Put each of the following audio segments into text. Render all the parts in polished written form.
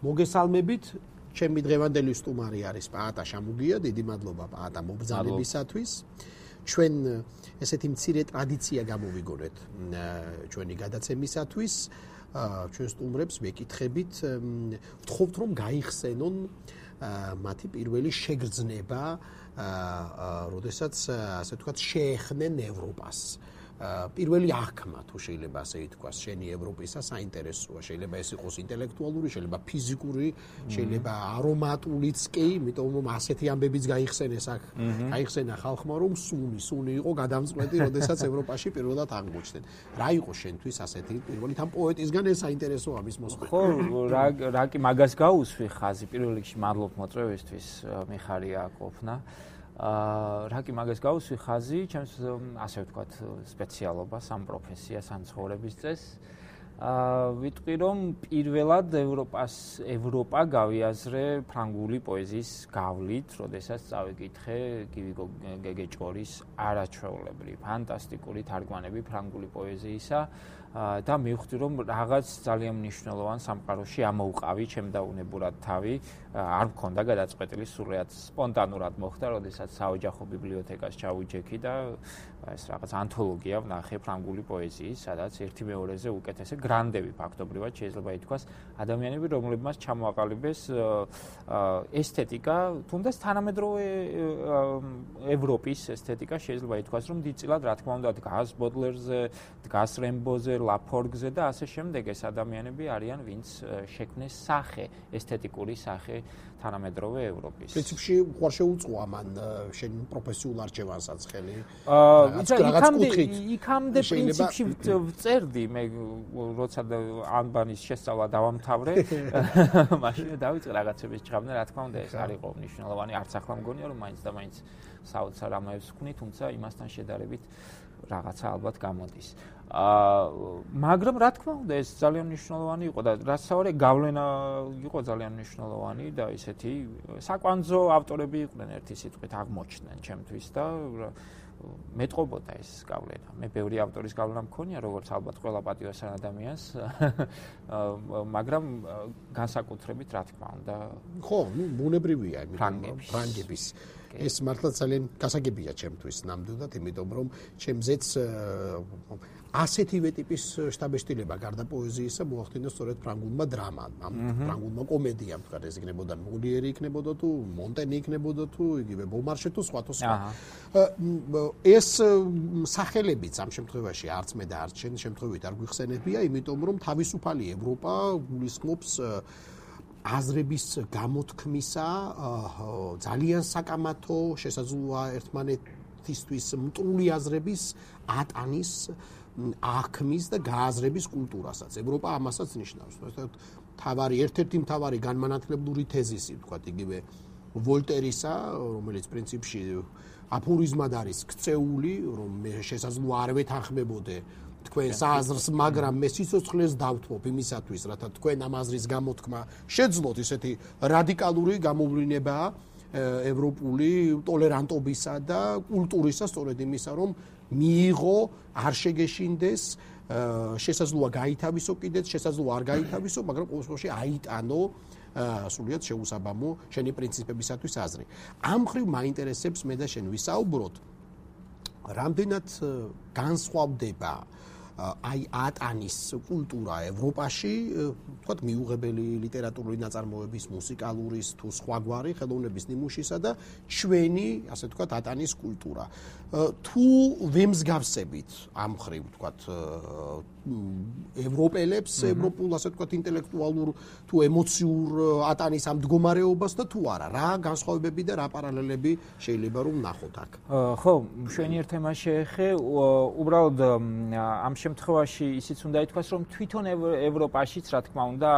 მოგესალმებით, ჩემი დღევანდელი სტუმარი არის პაატა შამუგია, დიდი მადლობა პაატა მობრძანებისათვის. ჩვენ ესეთი მცირე ტრადიცია გამოვიგონეთ ჩვენი გადაცემისათვის. ჩვენ სტუმრებს მეკითხებით, ვთხოვთ რომ გაიხსენონ მათი პირველი შეგრძნება, როდესაც ასე ვთქვათ, შეეხნენ ევროპას. პირველი აღქმა თუ შეიძლება ასე ითქვას, შენი ევროპისა საინტერესოა, შეიძლება ეს იყოს ინტელექტუალური, შეიძლება ფიზიკური, შეიძლება არომატულიც კი, იმიტომ რომ ასეთი ამბებიც გაიხსენეს აქ, გაიხსენა ხალხმა რომ სუნი იყო გადამწყვეტი, როდესაც ევროპაში პირველად აღმოჩნდნენ. რა იყო შენთვის ასეთი პირველი თან პოეტისგან ეს საინტერესოა მის მოსმენა? ხო, რა კი მაგას გაუსვი ხაზი, პირველ რიგში მადლობ მოწვევისთვის, მიხარია ყოფნა. რა კი მაგას გაუსვი ხაზი, ჩემს ასე ვთქვათ, სპეციალობას, ამ პროფესიას, ამ ცხოვრების წესს. ვიტყვი რომ პირველად ევროპა გავიაზრე ფრანგული პოეზიის გავლით, როდესაც წავიკითხე გივიგო გეგეჭორის არაჩვეულებრივი, ფანტასტიკური თარგმანები ფრანგული პოეზიისა და მივხვდი რომ რაღაც ძალიან მნიშვნელოვან სამყაროში ამოუყავი ჩემ დაუნებურად თავი, არ მქონდა გადაწყვეტილი, სრულიად სპონტანურად მოხდა, როდესაც საოჯახო ბიბლიოთეკას ჩავიჯექი და ეს რაღაც ანთოლოგია ვნახე ფრანგული პოეზიის, სადაც ერთი მეორეზე უკეთესი გრანდები ფაქტობრივად შეიძლება ითქვას, ადამიანები, რომლებმაც ჩამოაყალიბეს ესთეტიკა, თუნდაც თანამედროვე ევროპის ესთეტიკა შეიძლება ითქვას, რომ დიდწილად რა თქმა უნდა დგას ბოდლერზე, დგას რემბოზე, ლაფორგზე და ასე შემდეგ. ეს ადამიანები არიან, ვინც შექმნეს სახე, ესთეტიკური სახე თანამედროვე ევროპის. პრინციპში უყარ შეუწყო ამან შენ პროფესიულ არჩევანსაც ხელი. იქამდე პრინციპში ვწერდი მე, როცა ანბანის შესწავლა დავამთავრე, მაშინ დავიწყე რაღაცების ჭრავნა, რა თქმა უნდა ეს არ იყო მნიშვნელოვანი, არც ახლა მგონია რომ მაინც და მაინც საოცარ რამეებს ვქნი, თუმცა იმასთან შედარებით რაღაცა ალბათ გამოდის. მაგრამ რა თქმა უნდა ეს ძალიან მნიშვნელოვანი იყო და რასაوارე გავლენა იყო ძალიან მნიშვნელოვანი და ისეთი საკვანძო ავტორები იყვნენ ერთი სიტყვით აღმოჩნდნენ ჩემთვის და მეტყობოდა ეს გავლენა. მე ბევრი ავტორის გავლენა მქონია, როგორც ალბათ ყველა პატიოსან ადამიანს, მაგრამ განსაკუთრებით რა თქმა უნდა. ხო, ბუნებრივია, ფრანგების ეს მართლა ძალიან გასაგებია ჩემთვის ნამდვილად, იმიტომ რომ ჩემზეც ასეთივე ტიპის შთაბეჭდილება გარდა პოეზიისა მოახდინა სწორედ ფრანგულმა დრამამ, ფრანგულმა კომედიამ, თქვა ეს იქნებოდა მოლიერი იქნებოდა თუ მონტენი იქნებოდა თუ იგივე ბომარშე თუ სხვა. ეს სახელებიც ამ შემთხვევაში არც მე და არც შენ შემთხვევით არ გვიხსენებია, იმიტომ რომ თავისუფალი ევროპა გულისხმობს აზრების გამოთქმისა, ძალიან საკამათო, შესაძლოა ერთმანეთისთვის მტრული აზრების ატანის, აღქმის და გააზრების კულტურასაც. ევროპა ამასაც ნიშნავს. ერთ-ერთი მთავარი განმანათლებლური თეზისი, ვთქვათ, იგივე ვოლტერისა, რომელიც პრინციპში აფორიზმად არის ქცეული, რომ მე შესაძლოა არ ვეთანხმებოდე თქვენს აზრს, მაგრამ მე სიცოცხლეს დავთმობ იმისათვის, რათა თქვენ ამ აზრის გამოთქმა შეძლოთ. ესეთი რადიკალური გამოვლინებაა ევროპული ტოლერანტობისა და კულტურისა, სწორედ იმისა, რომ მიიღო, არ შეგეშინდეს, შესაძლოა გაითავისო კიდეც, შესაძლოა არ გაითავისო, მაგრამ ყოველ შემთხვევაში აიტანო სრულიად შეუსაბამო შენი პრინციპებისათვის აზრი. ამ მხრივ მაინტერესებს მე და შენ ვისაუბროთ, რამდენად განსხვავდება აი ატანის კულტურა ევროპაში, თქვათ მიუღებელი ლიტერატურული ნაწარმოების, მუსიკალურის თუ სხვაგვარი ხელოვნების ნიმუშისა და ჩვენი, ასე ვთქვათ, ატანის კულტურა. თუ ვემსგავსებით ამ მხრივ, ვთქვათ, ევროპელებს, ევროპულ, ასე ვთქვათ, ინტელექტუალურ თუ ემოციურ ატანის ამ მდგომარეობას და თუ არა, რა განსხვავებები და რა პარალელები შეიძლება რომ ვნახოთ აქ? ხო, მშვენიერ თემას შეეხე, უბრალოდ ამ შემთხვევაში ისიც უნდა ითქვას, რომ თვითონ ევროპაშიც, რა თქმა უნდა,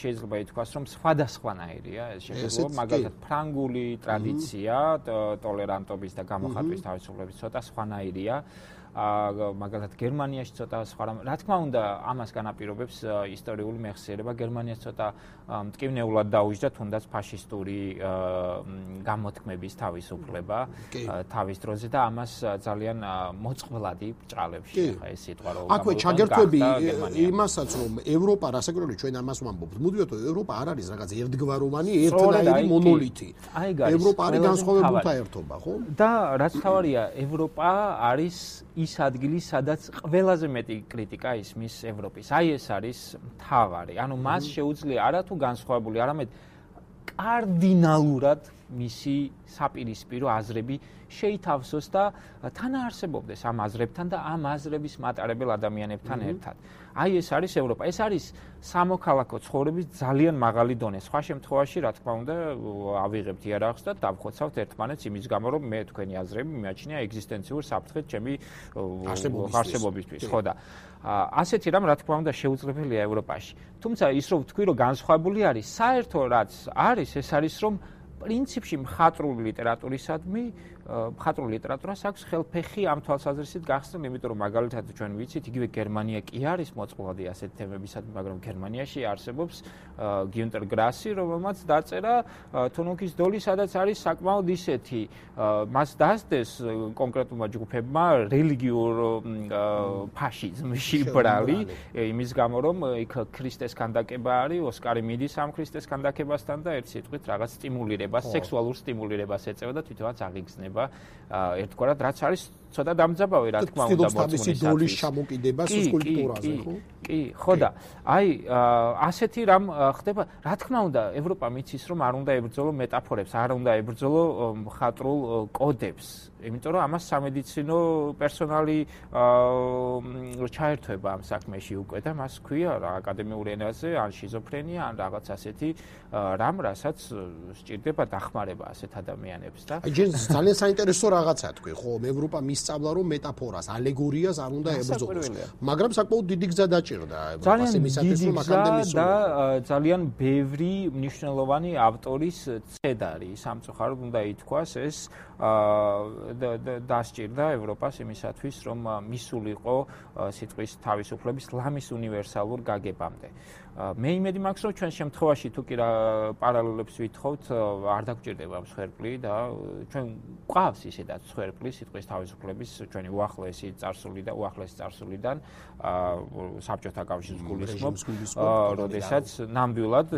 შეიძლება ითქვას, რომ სხვადასხვანაირია ეს შემთხვევა, მაგალითად ფრანგული ტრადიცია, ტოლერანტობის და გამოხატვის თავისუფლების ცოტა სხვანაირია. მაგალითად გერმანიაში ცოტა სხვა რა თქმა უნდა ამას განაპირობებს ისტორიული მეხსიერება გერმანიას ცოტა მტკივნეულად დაუჯდა თუნდაც ფაშისტური გამოთქმების თავისუფლება თავის დროზე და ამას ძალიან მოწყვლადი ბრჭყალებში ხა ეს სიტყვა რომ აქვე ჩაგერთვები იმასაც რომ ევროპა რასაკვირველია ჩვენ ამას ვამბობთ მუდმივად ევროპა არ არის რაღაც ერთგვაროვანი ერთნაირი მონოლითი ევროპა არის განსხვავებულთა ერთობა ხო და რაც თავარია ევროპა არის ის ადგილი სადაც ყველაზე მეტი კრიტიკა ისმის ევროპის აი ეს არის მთავარი ანუ მას შეუძლია არა თუ განსხვავებული არამედ კარდინალურად მისი საპირისპირო აზრები შეითავსოს და თანაარსებობდეს ამ აზრებთან და ამ აზრების მატარებელ ადამიანებთან ერთად. აი ეს არის ევროპა. ეს არის სამოქალაქო ცხოვრების ძალიან მაღალი დონე. სხვა შემთხვევაში, რა თქმა უნდა, ავიღებთ იარაღს და დავხოცავთ ერთმანეთს იმის გამო, რომ მე თქვენი აზრები მიმაჩნია ეგზისტენციურ საფრთხედ ჩემი არსებობისთვის. ხო და ასეთი რამ რა თქმა უნდა შეუძლებელია ევროპაში. თუმცა ის რომ ვთქვი, რომ განსხვავებული არის, საერთო რაც არის, ეს არის რომ პრინციპში მხატვრული ლიტერატურისადმი მხატვრული ლიტერატურას აქვს ხელფეხი ამ თვალსაზრისით გახსნილ, იმიტომ რომ მაგალითად ჩვენ ვიცით, იგივე გერმანია კი არის მოწყვლადი ასეთ თემებისადმი, მაგრამ გერმანიაში არსებობს გიუნტერ გრასი, რომელმაც დაწერა თუნუქის დოლი, სადაც არის საკმაოდ ისეთი, მას დასდეს კონკრეტულმა ჯგუფებმა რელიგიურ ფაშიზმში ბრალი, იმის გამო რომ იქ ქრისტეს ქანდაკება არის, ოსკარი მიდის ამ ქრისტეს ქანდაკებასთან და ერთ სიტყვით რაღაც სტიმულირებას, სექსუალურ სტიმულირებას ეწევა და თვითონაც აღიგზნება ერთგვარად რაც არის ცოტა დამძაბავი რა თქმა უნდა მოწმუნდების დოლის ჩამოკიდებას სკულპტურაზე ხო? კი, ხო და აი ასეთი რამ ხდება რა თქმა უნდა ევროპა მიცის რომ არ უნდა ებრძოლო მეტაფორებს, არ უნდა ებრძოლო მხატვრულ კოდებს, იმიტომ რომ ამას სამედიცინო პერსონალი ჩაერთვება ამ საქმეში უკვე და მას ქვია რა აკადემიურ ენაზე ან შიზოფრენია ან რაღაც ასეთი რამ რასაც სჭირდება დახმარება ასეთ ადამიანებს და აი ჯერ ძალიან საინტერესო რაღაცა თქვი ხო ევროპა მისწავლა რომ მეტაფორას ალეგორიას არ უნდა ებრძოლოს მაგრამ საკმაოდ დიდი გზა დაჭირდა ევროპას იმისათვის რომ აქამდე მისულიყო და ძალიან ბევრი მნიშვნელოვანი ავტორის ცედარი სამწუხაროდ უნდა ითქვას ეს დასჭირდა ევროპას იმისათვის რომ მისულიყო სიტყვის თავისუფლების ლამის უნივერსალურ გაგებამდე მე იმედი მაქვს რომ ჩვენ შემთხვევაში თუ კი პარალელებს ვითხოვთ არ დაგჭირდება მსხვერპლი და ჩვენ გვყავს ისედაც მსხვერპლი სიტყვის თავისუფლების ჩვენი უახლესი წარსულიდან საბჭოთა კავშირის გულისხმობ როდესაც ნამდვილად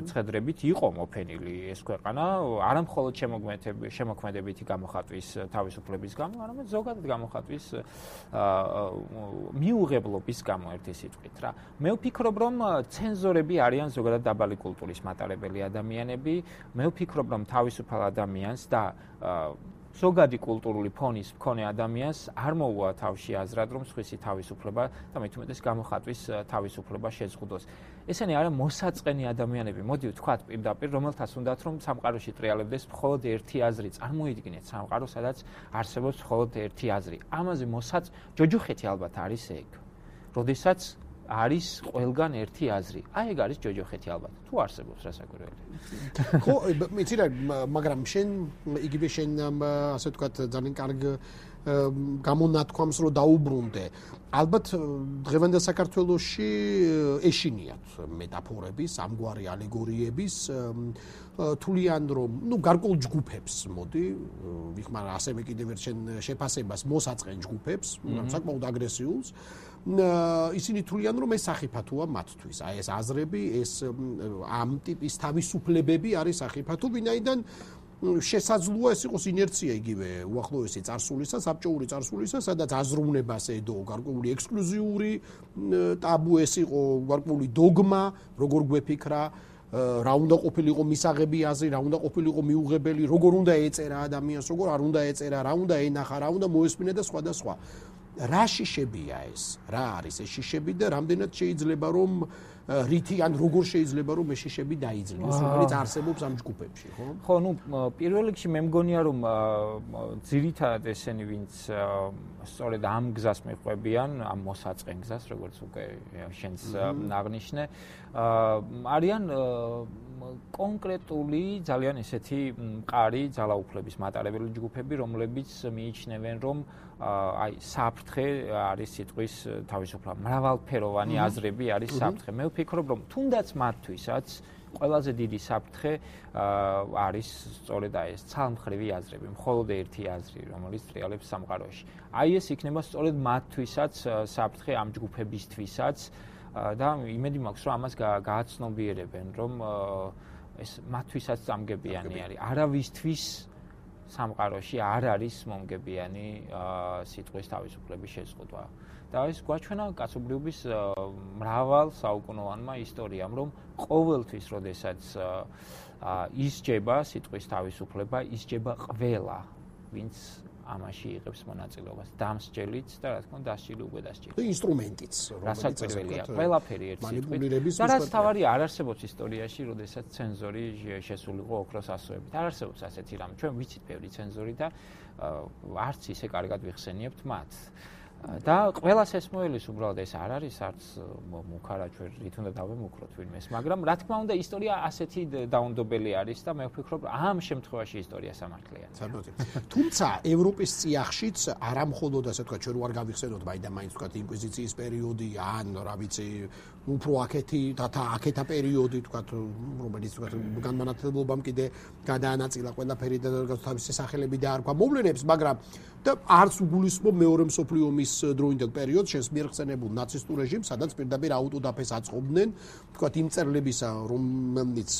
ცხედრებით იყო მოფენილი ეს ქვეყანა არა მხოლოდ შემოქმედებითი გამოხატვის თავისუფლების გამო არამედ ზოგადად გამოხატვის მიუღებლობის გამო ერთი სიტყვით რა მე ვფიქრობ რომ ცენზორები არიან ზოგადად დაბალი კულტურის მატარებელი ადამიანები. მე ვფიქრობ, რომ თავისუფალ ადამიანს და ზოგადი კულტურული ფონის მქონე ადამიანს არ მოუვა თავში აზრად, რომ სხვისი თავისუფლება და მით უმეტეს გამოხატვის თავისუფლება შეზღუდოს. ესენი არა მოსაწყენი ადამიანები, მოდი ვთქვათ პირდაპირ, რომელთაც უნდათ რომ სამყაროში ტრიალებდეს მხოლოდ ერთი აზრი. წარმოიდგინეთ სამყარო, სადაც არსებობს მხოლოდ ერთი აზრი. ამაზე ჯოჯოხეთი ალბათ არის ეგ. როდესაც არის ყველგან ერთი აზრი. აი ეგ არის ჯოჯოხეთი ალბათ. თუ არსებობს რასაკვირველია. ხო, იცი რა, მაგრამ შენ იგივე შენ ასე ვთქვათ ძალიან კარგ გამონათქვამს რო დაუბრუნდე. ალბათ დღევანდელ საქართველოში ეშინიათ მეტაფორების, ამგვარი ალეგორიების თვლიან რომ, გარკვეულ ჯგუფებს, მოდი, ვიხმარ ასევე კიდევ ერთ შეფასებას მოსაწყენ ჯგუფებს, საკმაოდ აგრესიულს. ისინი თვლიან რომ ეს სახიფათოა მათთვის. აი ეს აზრები, ეს ამ ტიპის თავისუფლებები არის სახიფათო, ვინაიდან შესაძლოა ეს იყოს ინერცია იგივე უახლოესი წარსულისა, საბჭოური წარსულისა, სადაც აზროვნებას ედო გარკვეული ექსკლუზიური ტაბუ ეს იყო გარკვეული დოგმა, როგორ გვეფიქრა რა უნდა ყოფილიყო მისაღები აზრი, რა უნდა ყოფილიყო მიუღებელი, როგორ უნდა ეწერა ადამიანს, როგორ არ უნდა ეწერა, რა უნდა ენახა, რა უნდა მოესმინა და სხვა და სხვა. რა შიშებია ეს? რა არის ეს შიშები და რამდენად შეიძლება რომ რითი ან როგორ შეიძლება რომ ეს შიშები დაიძლიოს, რომელიც არსებობს ამ ჯგუფებში, ხო? ხო, პირველ რიგში მე მგონია რომ ძირითადად ესენი ვინც სწორედ ამ გზას მიყვებიან, ამ მოსაწყენ გზას, როგორც უკვე შენს აღნიშნე, არიან კონკრეტული ძალიან ესეთი მყარი ძალაუფლების მატარებელი ჯგუფები, რომლებიც მიიჩნევენ, რომ აი საფრთხე არის სიტყვის თავისუფლება. მრავალფეროვანი აზრები არის საფრთხე. მე ვფიქრობ, რომ თუნდაც მათთვისაც ყველაზე დიდი საფრთხე არის სწორედ ეს ცალმხრივი აზრები, მხოლოდ ერთი აზრი, რომელიც ტრიალებს სამყაროში. აი ეს იქნება სწორედ მათთვისაც საფრთხე ამ ჯგუფებისთვისაც და იმედი მაქვს, რომ ამას გააცნობიერებენ, რომ ეს მათთვისაც წამგებიანი არის. არავისთვის სამყაროში არ არის მომგებიანი სიტყვის თავისუფლების შეზღუდვა. და ეს გვაჩვენა კაცობრიობის მრავალ საუკუნოვანმა ისტორიამ, რომ ყოველთვის, როდესაც ისჯება სიტყვის თავისუფლება, ისჯება ყველა, ვინც ამაში იღებს მონაწილეობას, დამსჯელიც და რა თქმა უნდა დასჯილი უკვე დასჯილი. და ინსტრუმენტიც, რომელიც პირველია, ყველაფერი ერთ სიტყვით. და რაც თავარია, არ არსებობს ისტორიაში, როდესაც ცენზორი შესულიყო ოქროს ასოებით. არ არსებობს ასეთი რამე. ჩვენ ვიცით ბევრი ცენზორი და არც ისე კარგად ვიხსენიებთ მათ. და ყველას ესმოელის უბრალოდ ეს არ არის არც მუქარა ჩვენ რით უნდა დავემუქროთ ვინმეს, მაგრამ რა თქმა უნდა ისტორია ასეთი დაუნდობელი არის და მე ვფიქრობ ამ შემთხვევაში ისტორია სამართლიანი. თუმცა ევროპის წიაღშიც არა მხოლოდ ასე ვთქვათ ჩვენ ვარ გავიხსენოთ მაინც ვთქვათ ინკვიზიციის პერიოდი ან რა ვიცი უფრო აქეთი აქეთა პერიოდი ვთქვათ რომელიც ვთქვათ განმანათლებლობამ კიდე გადაანაწილა ყველაფერი და თავისი სახელები დაარქვა მოვლენებს, მაგრამ და არც უგულისხმობ მეორე მსოფლიო ომის დროინდელ პერიოდს შენს მიერ ხსენებულ ნაცისტურ რეჟიმს, სადაც პირდაპირ აუტოდაფეს აწყობდნენ, ვთქვათ იმ მწერლებისა, რომელიც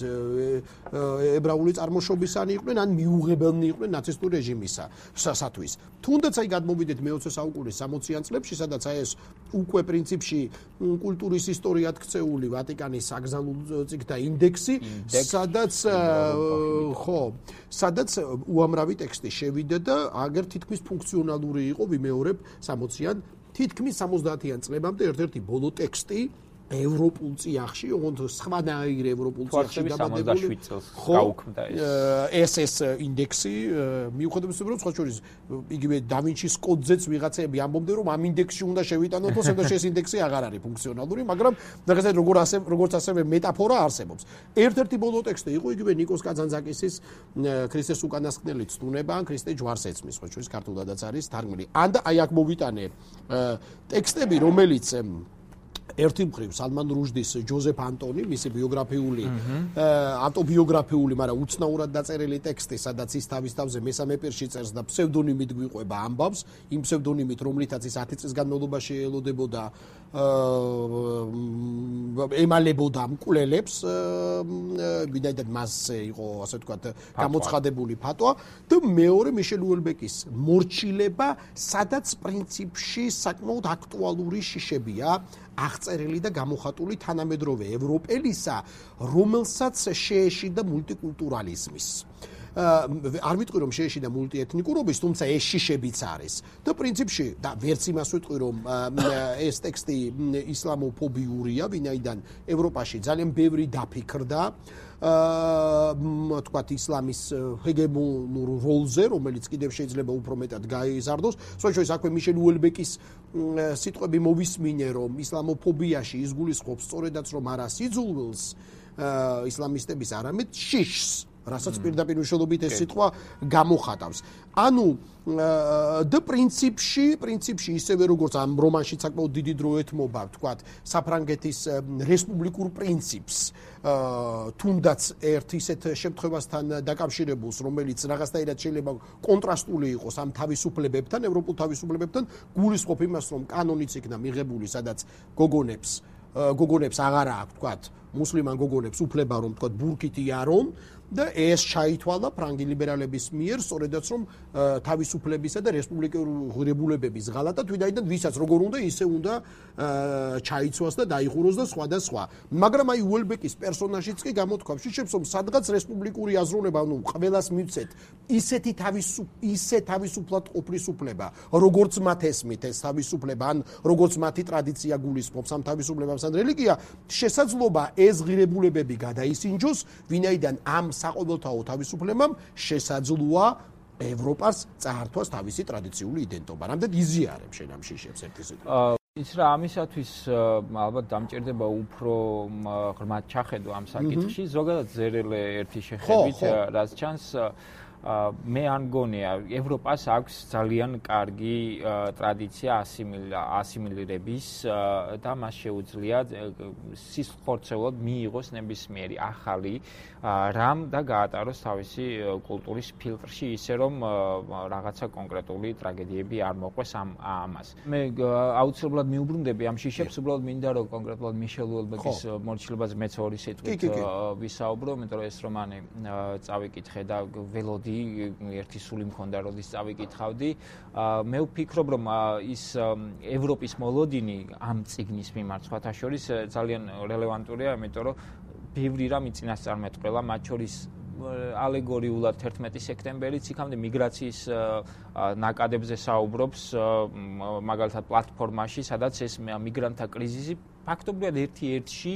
ებრაული წარმოშობისანი იყვნენ, ან მიუღებელნი იყვნენ ნაცისტურ რეჟიმისათვის. თუნდაც აი გადმოვიდეთ მე-20 საუკუნის 60-იან წლებში, სადაც აი ეს უკვე პრინციპში კულტურის ისტორიად ქცეული ვატიკანის საგზავნილ წიგნთა ინდექსი, სადაც უამრავი ტექსტი შევიდა და აგერ თითქმის ფუნქციონალური იყო ვიმეორებ 60-იან, თითქმის 70-იან წლებამდე ერთ-ერთი ბოლო ტექსტი ევროპულ წიაღში, ოღონდ სხვანაირ ევროპულ წიაღში დაბადებული 77 წელს გაუქმდა ეს ინდექსი, მიუხედავად იმისა, რომ სხვა შორის იგივე დავინჩის კოდზეც ვიღაცები ამბობდნენ, რომ ამ ინდექსში უნდა შევიტანოთ, თუმცა ეს ინდექსი აღარ არის ფუნქციონალური, მაგრამ რაღაცა როგორც ასევე მეტაფორა არსებობს. ერთ-ერთი ბოლო ტექსტი იყო იგივე ნიკოს კაძანძაკისის ქრისტეს უკანასკნელი ცდუნება ან ქრისტე ჯვარს ეცმის, სხვა შორის ქართულადაც არის თარგმნილი. ან და აი აქ მოვიტანე ტექსტები, რომელიც ერთი მხრივ სალმან რუშდის ჯოზეფ ანტონი, მისი ბიოგრაფიული, ავტობიოგრაფიული, მაგრამ უცნაურად დაწერილი ტექსტი, სადაც ის თავის თავზე მესამე პირში წერს და ფსევდონიმით გვიყვება ამბავს, იმ ფსევდონიმით, რომლითაც ის 10 წლის განმავლობაში ელოდებოდა ემალებოდა მკვლელებს, ვინაიდან მასზე იყო, ასე ვთქვათ, გამოცხადებული ფატვა და მეორე მიშელ უელბეკის მორჩილება, სადაც პრინციპში საკმაოდ აქტუალური შიშებია აღწერილი და გამოხატული თანამედროვე ევროპელისა, რომელსაც შეეშიდა მულტიკულტურალიზმის. არ ვიტყვი რომ შეეშიდა მულტიეთნიკურობის, თუმცა ეს შიშებიც არის. და პრინციპში და ვერც იმას ვიტყვი რომ ეს ტექსტი ისლამოფობიურია, ვინაიდან ევროპაში ძალიან ბევრი დაფიქრდა თქვათ ისლამის ჰეგემონურ როლზე, რომელიც კიდევ შეიძლება უფრო მეტად გაიზარდოს. სხვა შორის აქვე მიშელ უელბეკის სიტყვები მოვისმინე, რომ ისლამოფობიაში ის გულისხმობს სწორედაც რომ არა სიძულვილს ისლამისტების, არამედ შიშს, რასაც პირდაპირ მნიშვნელობით ეს სიტყვა გამოხატავს. ანუ და პრინციპში ისევე როგორც ამ რომანში საკმაოდ დიდი დრო ეთმობა, ვთქვათ, საფრანგეთის რესპუბლიკურ პრინციპს, თუნდაც ერთ ისეთ შემთხვევასთან დაკავშირებულს, რომელიც რაღაცნაირად შეიძლება კონტრასტული იყოს ამ თავისუფლებებთან, ევროპულ თავისუფლებებთან, გულისხმობ იმას, რომ კანონიც იქნა მიღებული, სადაც გოგონებს აღარ აქვს, ვთქვათ, მუსლიმან გოგონებს უფლება, რომ ვთქვათ, ბურკით იარონ და ეს ჩაითვალა ფრანგი ლიბერალების მიერ, სწორედაც რომ თავისუფლებისა და რესპუბლიკური ღირებულებების ღალატად, ვინაიდან ვისაც როგორ უნდა, ისე უნდა ჩაიცვას და დაიხუროს და სხვა და სხვა. მაგრამ აი უელბეკის პერსონაჟიც კი გამოთქვამს შიშებს, რომ სადღაც რესპუბლიკური აზროვნება, ანუ ყველას მივცეთ ისე თავისუფლად ყოფნის უფლება, როგორც მათ ესმით ეს თავისუფლება, ან როგორც მათი ტრადიცია გულისხმობს ამ თავისუფლებას ან რელიგია, შესაძლოა ეს ღირებულებები გადაისინჯოს, ვინაიდან ამ საყოველთაო თავისუფლებამ შესაძლოა ევროპას წაართვას თავისი ტრადიციული იდენტობა. რამდენ იზიარებ შენ ამ შიშებს ერთი სიტყვით. ის რა ამისათვის ალბათ დამჭირდება უფრო ღრმად ჩახედო ამ საკითხში, ზოგადად ზერელე ერთი შეხედვით, რაც ჩანს მე არ მგონია ევროპას აქვს ძალიან კარგი ტრადიცია ასიმილირების და მას შეუძლია სისხლხორცეულად მიიღოს ნებისმიერი ახალი რამ და გაატაროს თავისი კულტურის ფილტრში ისე რომ რაღაცა კონკრეტული ტრაგედიები არ მოყვეს ამას. მე აუცილებლად მიუბრუნდები ამ შიშებს, უბრალოდ მინდა რომ კონკრეტულად მიშელ უელბეკის მორჩილებაზე მეც ორი სიტყვით ვისაუბრო, იმიტომ რომ ეს რომანი წავიკითხე და ველოდი ერთი სული მქონდა როდის წავიკითხავდი. მე ვფიქრობ რომ ის ევროპის მოლოდინი ამ წიგნის მიმართ სხვათა შორის ძალიან რელევანტურია, იმიტომ რომ ბევრი რამ იწინასწარმეტყველა, მათ შორის ალეგორიულად 11 სექტემბერიც იქამდე მიგრაციის ნაკადებზე საუბრობს, მაგალითად პლატფორმაში, სადაც ეს მიგრანტთა კრიზისი ფაქტობრივად ერთ-ერთში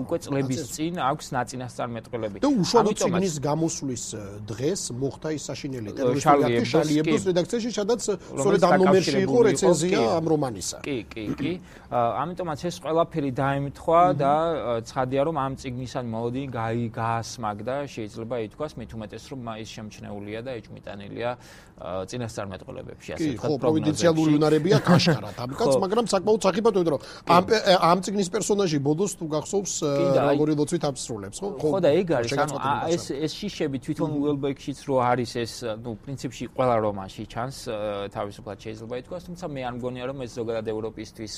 უკვე წლების წინ აქვს ნაწინასწარმეტყველები. და უშუალოდ წიგნის გამოსვლის დღეს მოხდა ის საშინელი ტერორისტული შარლი ებდოს რედაქციაში, სადაც სწორედ ამ ნომერში იყო რეცენზია ამ რომანისა. კი. ამიტომაც ეს ყველაფერი დაემთხვა და ცხადია რომ ამ წიგნისან მოლოდინი გაასმაგდა, შეიძლება ითქვას, მით უმეტეს რომ ის შემჩნეულია და ეჭვმიტანილია წინასწარმეტყველებებში, ასე ვთქვათ, პროგნოზებში. პროვინციალური უნარებია კაშკარად ამ კაც, მაგრამ საკმაოდ სახიფათო, იმიტომ რომ ამ წიგნის პერსონაჟი ბოდოს თუ გახსოვს როგორი ლოცვით აბსრულებს, ხო? ხო და ეგ არის, ანუ ეს შიშები თვითონ უელბეკშიც რო არის ეს, ნუ პრინციპში ყველა რომანში ჩანს, თავისუფლად შეიძლება ითქვას, თუმცა მე არ მგონია რომ ეს ზოგადად ევროპისთვის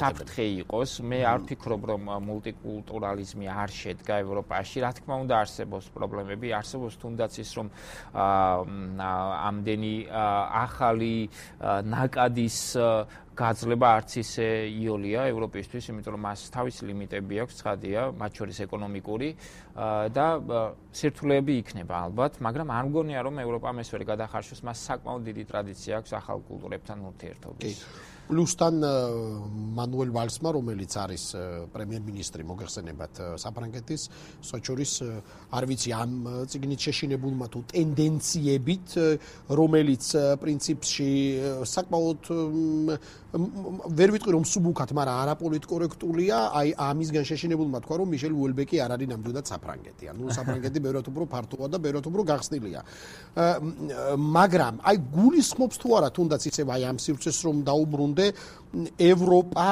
საფრთხე იყოს. მე არ ვფიქრობ რომ მულტიკულტურალიზმი არ შედგა ევროპაში, რა თქმა უნდა არსებობს პრობლემები, არსებობს თუნდაც ის რომ ამდენი ახალი ნაკადის გაძლება არც ისე იოლია ევროპისთვის, იმიტომ რომ მას თავისი ლიმიტები აქვს, ცხადია, მათ შორის ეკონომიკური და სირთულეები იქნება ალბათ, მაგრამ არ მგონია რომ ევროპამ ეს ვერ გადახარშოს, მას საკმაოდ დიდი ტრადიცია აქვს ახალ კულტურებთან ურთიერთობის. პლუსთან მანუელ ვალსმა, რომელიც არის პრემიერ-მინისტრი, მოგეხსენებათ საფრანგეთის, სოჭურის, არ ვიცი ამ წიგნით შეშინებულმა თუ ტენდენციებით, რომელიც პრინციპში საკმაოდ ვერ ვიტყვი რომ სუბუქად, მაგრამ არაპოლიტკორექტულია, აი ამისგან შეშინებულმა თქვა რომ მიშელ უელბეკი არ არის ნამდვილად საფრანგეთი. ანუ საფრანგეთი ბევრად უფრო ფართოა და ბევრად უფრო გახსნილია. მაგრამ აი გულისხმობს თუ არა თუნდაც ისევ აი ამ სივრცეს რომ დაუბრუნდე ევროპა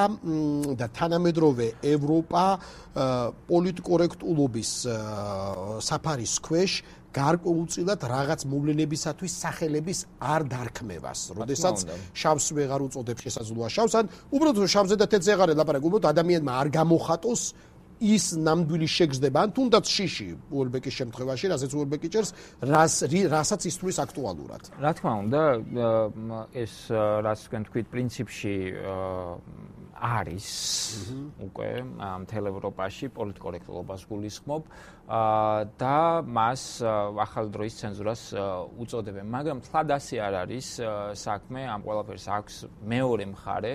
და თანამედროვე ევროპა პოლიტკორექტულობის საფარის ქვეშ გარკვეულწილად რაღაც მოვლენებისათვის სახელების არ დარქმევას, როდესაც შავს ვეღარ უწოდებს შესაძლოა შავს, ან უბრალოდ შავზე და თეთრზე აღარ ელაპარაკ, უბრალოდ ადამიანმა არ გამოხატოს ის ნამდვილი შეგრძნება, ან თუნდაც შიში უელბეკის შემთხვევაში, რასაც უელბეკი ჭერს, რასაც ისთვლის აქტუალურად. რა თქმა უნდა, ეს რაც თქვენ თქვით, პრინციპში არის უკვე მთელ ევროპაში პოლიტკორექტულობას გულისხმობ და მას ახალი დროის ცენზურას უწოდებენ, მაგრამ თლად ასე არ არის საქმე, ამ ყველაფერს აქვს მეორე მხარე.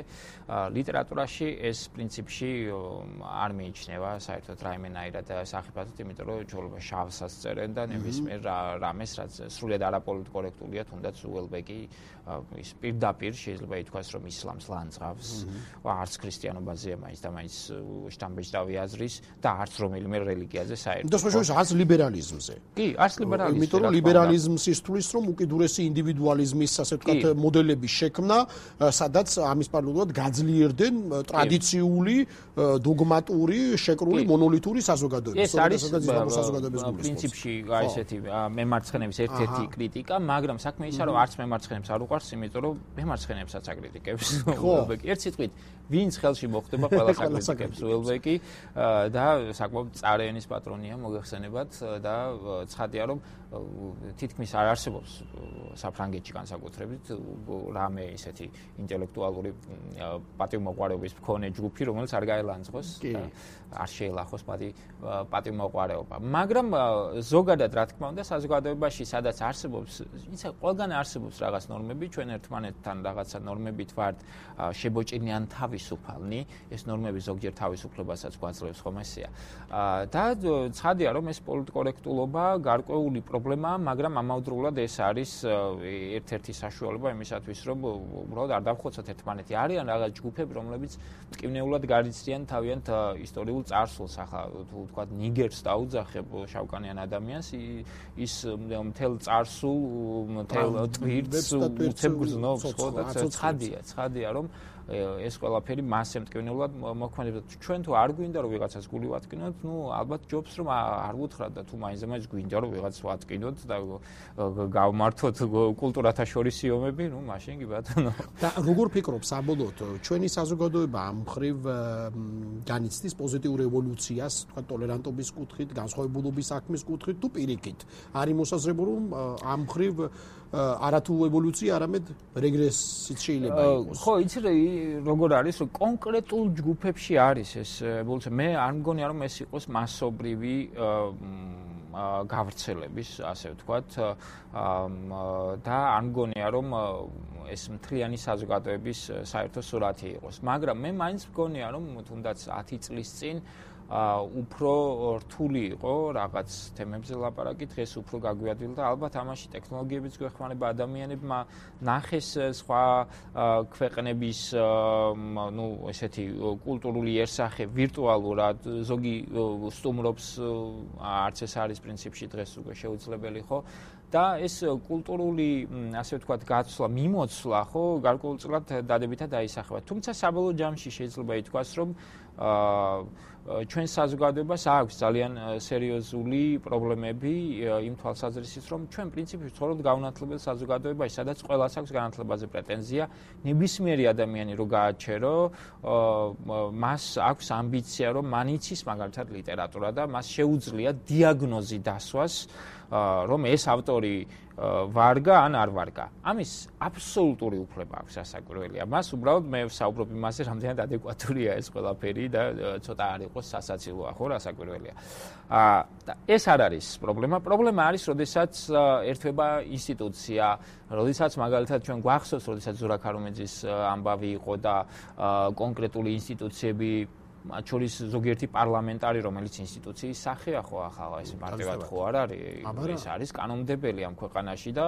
ლიტერატურაში ეს პრინციპში არ მიიჩნევა საერთოდ რაიმენაირად სახიფათოდ, იმიტომ რომ ჩვეულებრივ შავსაც წერენ და ნებისმიერ რამეს, რაც სრულიად არაპოლიტკორექტულია, თუნდაც უელბეკი ის პირდაპირ შეიძლება ითქვას, რომ ისლამს ლანძღავს, არც ქრისტიანობაზეა მაინც და მაინც შტამბეჭდავი აზრის და არც რომელიმე რელიგიაზე საერთოდ. არც ლიბერალიზმზე. კი, არც ლიბერალიზმზე. იმიტომ რომ ლიბერალიზმს ისთვის რომ უკიდურესი ინდივიდუალიზმის, ასე ვთქვათ, მოდელების შექმნა, სადაც ამის პარალელურად გაძლიერდნენ ტრადიციული, დოგმატური, შეკრული, მონოლითური საზოგადოება. ეს არის პრინციპში ესეთი მემარცხენების ერთ-ერთი კრიტიკა, მაგრამ საქმე ისაა, რომ არც მემარცხენებს არ უყვარს, იმიტომ რომ მემარცხენებსაც აკრიტიკებს უელბეკი. ერთ სიტყვით, ვინც ხელში მოხდება, ყველას აკრიტიკებს უელბეკი და საკმაოდ წარენის პატრონია მოგეხსენებათ და ცხადია რომ თითქმის არ არსებობს საფრანგეთში განსაკუთრებით რამე ისეთი ინტელექტუალური პატივმოყვარეობის მქონე ჯგუფი, რომელიც არ გაელანძღოს და არ შეელახოს პატივმოყვარეობა. მაგრამ ზოგადად რა თქმა უნდა საზოგადოებაში სადაც არსებობს, ისა ყველგან არსებობს რაღაც ნორმები, ჩვენ ერთმანეთთან რაღაცა ნორმებით ვართ შებოჭრილი ან თავისუფლი თავისუფალნი, ეს ნორმები ზოგჯერ თავისუფლებასაც გვაძლევს, ხომ ესეა. და ცხადია, რომ ეს პოლიტკორექტულობა გარკვეული პრობლემაა, მაგრამ ამავდროულად ეს არის ერთ-ერთი საშუალება იმისათვის, რომ უბრალოდ არ დავხოცოთ ერთმანეთი. არიან რაღაც ჯგუფები, რომლებიც მტკივნეულად გარიციან თავიანთ ისტორიულ წარსულს. ახლა თუ ვთქვათ ნიგერს დაუძახებ შავკანიან ადამიანს, ის მთელ წარსულ, მთელ ტვირთს უცებ გრძნობს, ხო და ცხადია, რომ ეს ყველაფერი მასე მტკივნეულად მოქმედებდა. ჩვენ თუ არ გვინდა რომ ვიღაცას გული ვატკინოთ, ალბათ ჯობს რომ არ ვუთხრათ და თუ მაინც გვინდა რომ ვიღაცას ვატკინოთ და გავმართოთ კულტურათა შორისი ომები, მაშინ კი ბატონო. და როგორ ფიქრობ საბოლოოდ ჩვენი საზოგადოება ამ მხრივ განიცდის პოზიტიურ ევოლუციას, თქვა ტოლერანტობის კუთხით, განსხვავებულობის საქმის კუთხით თუ პირიქით? არის მოსაზრება რომ ამ მხრივ არათუ ევოლუცია, არამედ რეგრესიც შეიძლება იყოს. ხო, იცი როგორ არის, რომ კონკრეტულ ჯგუფებში არის ეს ევოლუცია. მე არ მგონია რომ ეს იყოს მასობრივი გავრცელების, ასე ვთქვათ, და არ მგონია რომ ეს მთლიანი საზოგადოების საერთო სურათი იყოს. მაგრამ მე მაინც მგონია რომ თუნდაც 10 წლის წინ უფრო რთული იყო რაღაც თემებზე ლაპარაკი, დღეს უფრო გაგვიადვილა და ალბათ ამაში ტექნოლოგიებიც გვეხმარება, ადამიანებმა ნახეს სხვა ქვეყნების ესეთი კულტურული იერსახე ვირტუალურად, ზოგი სტუმრობს, არც ეს არის პრინციპში დღეს უკვე შეუძლებელი, ხო? და ეს კულტურული, ასე ვთქვათ, გაცვლა, მიმოცვლა, ხო, გარკვეულწილად დადებითად დაისახება. თუმცა საბოლოო ჯამში შეიძლება ითქვას, რომ ჩვენ საზოგადოებას აქვს ძალიან სერიოზული პრობლემები იმ თვალსაზრისით, რომ ჩვენ პრინციპში ვცხოვრობთ გაუნათლებელ საზოგადოებაში, სადაც ყველას აქვს განათლებაზე პრეტენზია. ნებისმიერი ადამიანი რო გააჩერო, მას აქვს ამბიცია, რომ მან იცის მაგალითად ლიტერატურა და მას შეუძლია დიაგნოზი დასვას, რომ ეს ავტორი ვარგა ან არ ვარგა. ამის აბსოლუტური უფლება აქვს ასაკვირველია. მას უბრალოდ მე ვსაუბრობ იმაზე, რამდენად ადეკვატურია ეს ყველაფერი და ცოტა არ იყოს სასაცილოა, ხო, ასაკვირველია. და ეს არ არის პრობლემა. პრობლემა არის, როდესაც ერთვება ინსტიტუცია, როდესაც მაგალითად ჩვენ გვახსოვს, როდესაც ზურაბ ქარუმეძის ამბავი იყო და კონკრეტული ინსტიტუციები მათ შორის ზოგიერთი პარლამენტარი, რომელიც ინსტიტუციის სახეა, ხო, ახლა ეს მარტივად ხო არ არის, ეს არის კანონმდებელი ამ ქვეყანაში და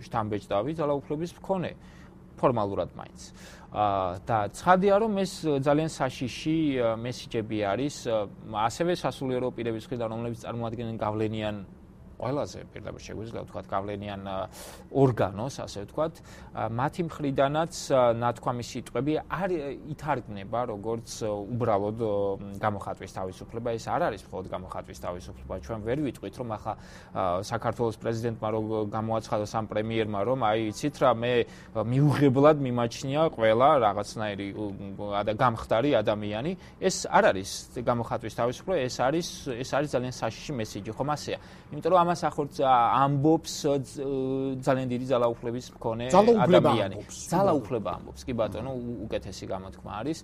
შთამბეჭდავი ძალაუფლების მქონე ფორმალურად მაინც. და ცხადია, რომ ეს ძალიან საშიში მესიჯები არის, ასევე სასულიერო პირების მხრიდან, რომლებიც წარმოადგენენ გავლენიან ყველაზე პირდაპირ შეგვიძლია ვთქვათ გავლენიან ორგანოს, ასე ვთქვათ, მათი მხრიდანაც ნათქვამი სიტყვები არ ითარგმნება როგორც უბრალოდ გამოხატვის თავისუფლება. ეს არ არის მხოლოდ გამოხატვის თავისუფლება. ჩვენ ვერ ვიტყვით, რომ ახლა საქართველოს პრეზიდენტმა რო გამოაცხადა სამ პრემიერმა, რომ აი იცით რა, მე მიუღებლად მიმაჩნია ყველა რაღაცნაირი გამხდარი ადამიანი. ეს არ არის გამოხატვის თავისუფლება, ეს არის ძალიან საშიში მესიჯი, ხომ ასეა? იმიტომ რომ ამას ახორც ამბობს ძალიან დიდი ძალაუფლების მქონე ადამიანი. ძალაუფლება ამბობს, კი ბატონო, უკეთესი გამოთქმა არის.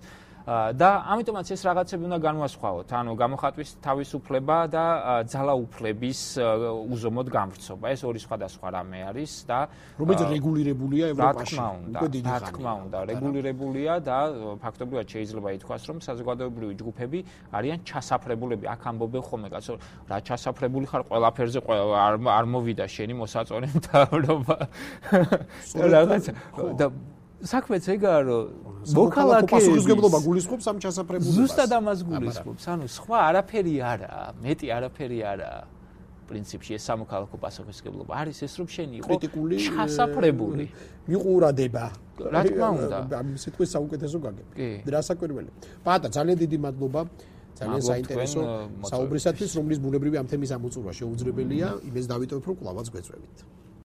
და ამიტომაც ეს რაღაცები უნდა განვასხვაოთ, ანუ გამოხატვის თავისუფლება და ძალაუფლების უზომოდ გამვრცობა. ეს ორი სხვადასხვა რამე არის და რომელიც რეგულირებულია ევროპაში. რა თქმა უნდა, რეგულირებულია და ფაქტობრივად შეიძლება ითქვას, რომ საზოგადოებრივი ჯგუფები არიან ჩასაფრებულები. აქ ამბობენ ხოლმე, კაცო, რა ჩასაფრებული ხარ, ყველაფერზე არ მოვიდა შენი მოსაწონი მთავრობა. რაღაცა და საქმეც ეგაა, რომ მოქალაქეების პასუხისმგებლობა გულისხმობს ამ ჩასაფრებულებას. ზუსტად ამას გულისხმობს. ანუ სხვა არაფერი არაა, მეტი არაფერი არაა. პრინციპში ეს სამოქალაქო პასუხისმგებლობა არის ეს, რომ შენი იყო ჩასაფრებული. მიყურადება. რა თქმა უნდა. ამ სიტყვის საუკეთესო გაგება. რასაკვირველია. პატა, ძალიან დიდი მადლობა. ძალიან საინტერესო საუბრისათვის, რომლის ბუნებრივი ამ თემის ამოწურვა შეუძლებელია. იმეს დავიტოვებ, რომ კლავაც გვეწვევით.